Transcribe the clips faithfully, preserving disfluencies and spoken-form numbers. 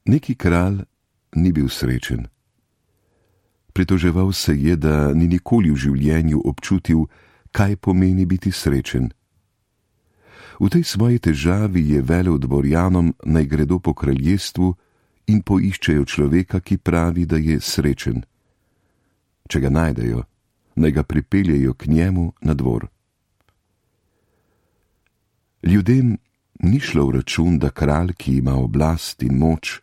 Neki kralj ni bil srečen. Pritoževal se je, da ni nikoli v življenju občutil, kaj pomeni biti srečen. V tej svoji težavi je velel dvorjanom, naj gredo po kraljestvu in poiščejo človeka, ki pravi, da je srečen. Če ga najdejo, naj ga pripeljejo k njemu na dvor. Ljudem ni šlo v račun, da kralj, ki ima oblast in moč,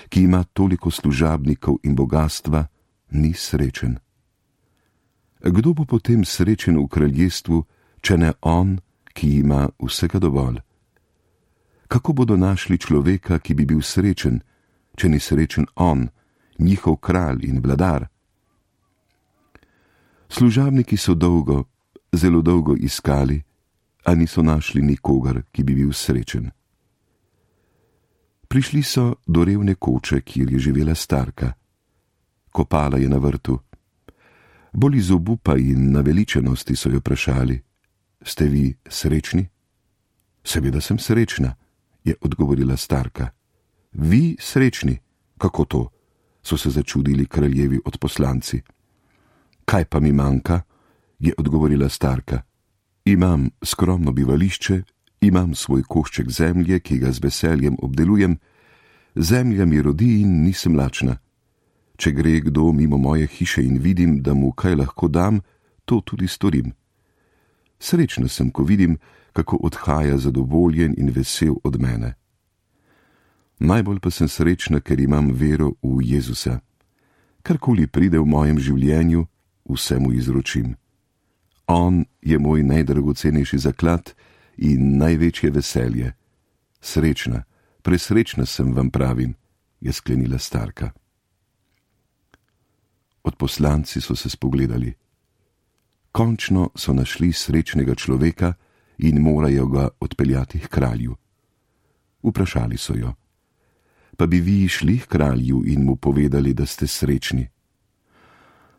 ki ima toliko služabnikov in bogatstva, ni srečen. Kdo bo potem srečen v kraljestvu, če ne on, ki ima vsega dovolj? Kako bodo našli človeka, ki bi bil srečen, če ni srečen on, njihov kralj in vladar? Služabniki so dolgo, zelo dolgo iskali, a niso našli nikogar, ki bi bil srečen. Prišli so do revne koče, kjer je živela starka. Kopala je na vrtu. Bolj iz obupa in naveličenosti so jo vprašali: Ste vi srečni? Seveda sem srečna, je odgovorila starka. Vi srečni? Kako to? So se začudili kraljevi odposlanci. Kaj pa mi manjka? Je odgovorila starka. Imam skromno bivališče, imam svoj košček zemlje, ki ga z veseljem obdelujem, zemlja mi rodi in nisem lačna. Če gre kdo mimo moje hiše in vidim, da mu kaj lahko dam, to tudi storim. Srečna sem, ko vidim, kako odhaja zadovoljen in vesel od mene. Najbolj pa sem srečna, ker imam vero v Jezusa. Karkoli pride v mojem življenju, vse mu izročim. On je moj najdragocenejši zaklad in največje veselje. Srečna, presrečna sem, vam pravim, je sklenila starka. Odposlanci so se spogledali. Končno so našli srečnega človeka in morajo ga odpeljati k kralju. Vprašali so jo: Pa bi vi šli k kralju in mu povedali, da ste srečni?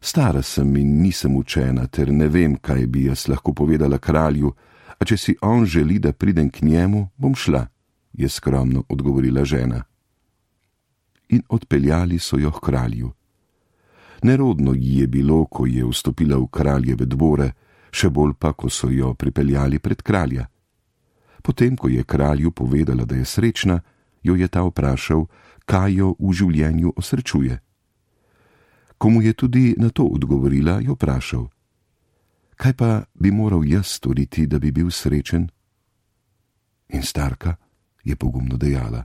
Stara sem in nisem učena, ter ne vem, kaj bi jaz lahko povedala kralju, a če si on želi, da pridem k njemu, bom šla, je skromno odgovorila žena. In odpeljali so jo k kralju. Nerodno ji je bilo, ko je vstopila v kraljeve dvore, še bolj pa, ko so jo pripeljali pred kralja. Potem, ko je kralju povedala, da je srečna, jo je ta vprašal, kaj jo v življenju osrečuje. Ko mu je tudi na to odgovorila, jo vprašal: Kaj pa bi moral jaz storiti, da bi bil srečen? In starka je pogumno dejala: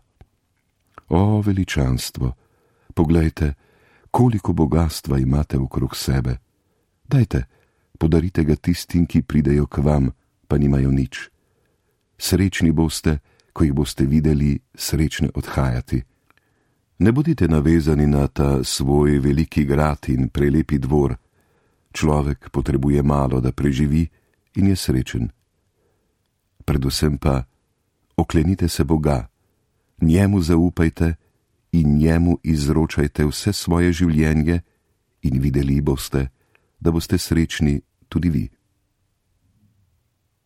O, veličanstvo, poglejte, koliko bogastva imate okrog sebe. Dajte, podarite ga tistim, ki pridejo k vam, pa nimajo nič. Srečni boste, ko jih boste videli srečne odhajati. Ne bodite navezani na ta svoj veliki grad in prelepi dvor. Človek potrebuje malo, da preživi in je srečen. Predvsem pa oklenite se Boga, njemu zaupajte in njemu izročajte vse svoje življenje in videli boste, da boste srečni tudi vi.